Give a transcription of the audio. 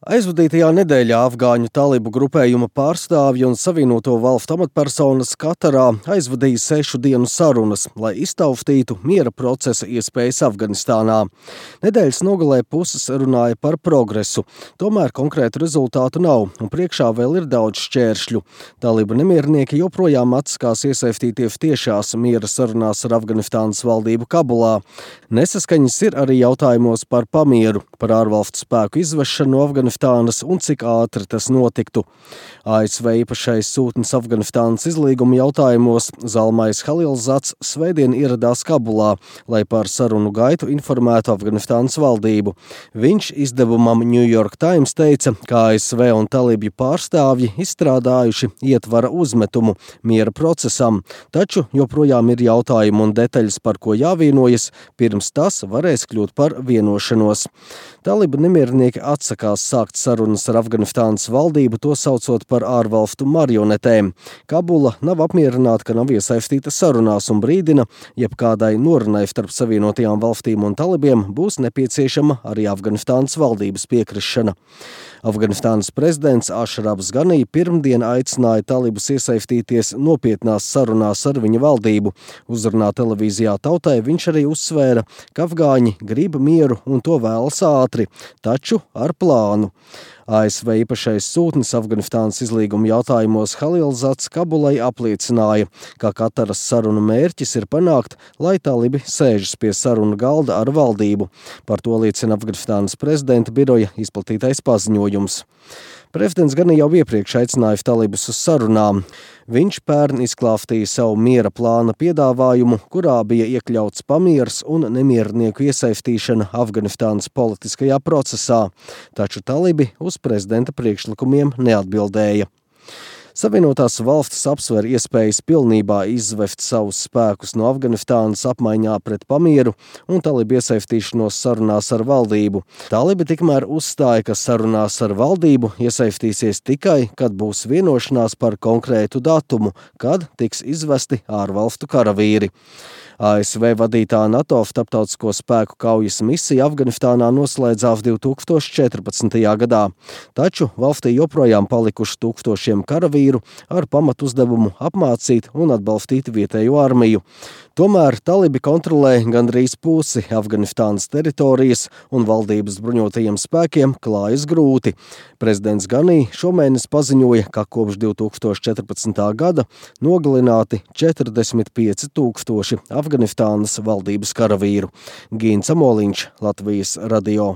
Aizvadītajā nedēļā afgāņu talibu grupējuma pārstāvji un Savienoto Valstu amatpersonas Katarā aizvadīja 6 dienu sarunas, lai iztauftītu miera procesa iespējas Afganistānā. Nedēļas nogalē puses runāja par progresu, tomēr konkrētu rezultātu nav un priekšā vēl ir daudz šķēršļu. Talibu nemiernieki joprojām atsakās iesaistīties tiešās miera sarunās ar Afganistānas valdību Kabulā. Nesaskaņas ir arī jautājumos par pamieru, par ārvalstu spēku izvešanu no Afganistānas un cik ātri tas notiktu. ASV īpašais sūtnis Afganistānas izlīguma jautājumos Zalmais Halilzats svētdien ieradās Kabulā, lai par sarunu gaitu informētu Afganistānas valdību. Viņš izdevumam New York Times teica, ka ASV un talibju pārstāvji izstrādājuši ietvara uzmetumu miera procesam, taču joprojām ir jautājumi un detaļas, par ko jāvienojas, pirms tas varēs kļūt par vienošanos. Talibu nemiernieki atsakās sākt sarunas ar Afganistānas valdību, to saucot par ārvalstu marionetēm. Kabula nav apmierināta, ka nav iesaistīta sarunās un brīdina, jebkādai norunai starp Savienotajām valstīm un talibiem būs nepieciešama arī Afganistānas valdības piekrišana. Afganistānas prezidents Ašrafs Ganī pirmdien aicināja talibus iesaistīties nopietnās sarunās ar viņa valdību. Uzrunā televīzijā Tautai viņš arī uzsvēra, ka afgāņi grib mieru un to vēlas ātri, taču ar plānu. ASV īpašais sūtnis Afganistānas izlīguma jautājumos Halilzats Kabulai apliecināja, ka Kataras sarunu mērķis ir panākt, lai talibi sēžas pie sarunu galda ar valdību. Par to liecina Afganistānas prezidenta biroja izplatītais paziņojums. Prezidents gan jau iepriekš aicināja talibus uz sarunām. Viņš pērn izklāstīja savu miera plāna piedāvājumu, kurā bija iekļauts pamieris un nemiernieku iesaistīšana Afganistānas politiskajā procesā, taču talibi uz prezidenta priekšlikumiem neatbildēja. Savienotās valstis apsver iespējas pilnībā izvest savus spēkus no Afganistānas apmaiņā pret pamieru un talibu iesaistīšanos sarunās ar valdību. Talibi tikmēr uzstāja, ka sarunās ar valdību iesaistīsies tikai, kad būs vienošanās par konkrētu datumu, kad tiks izvesti ārvalstu karavīri. ASV vadītā NATO starptautisko spēku kaujas misija Afganistānā noslēdzās 2014. gadā, taču valstī joprojām palikuši tūkstošiem karavīru ar pamatuzdevumu apmācīt un atbalstīt vietējo armiju. Tomēr talibi kontrolē gandrīz pusi Afganistānas teritorijas un valdības bruņotajiem spēkiem klājas grūti. Prezidents Ganī šomēnes paziņoja, ka kopš 2014. gada nogalināti 45 000 Afganistānas valdības karavīru. Gīns Amoliņš, Latvijas radio.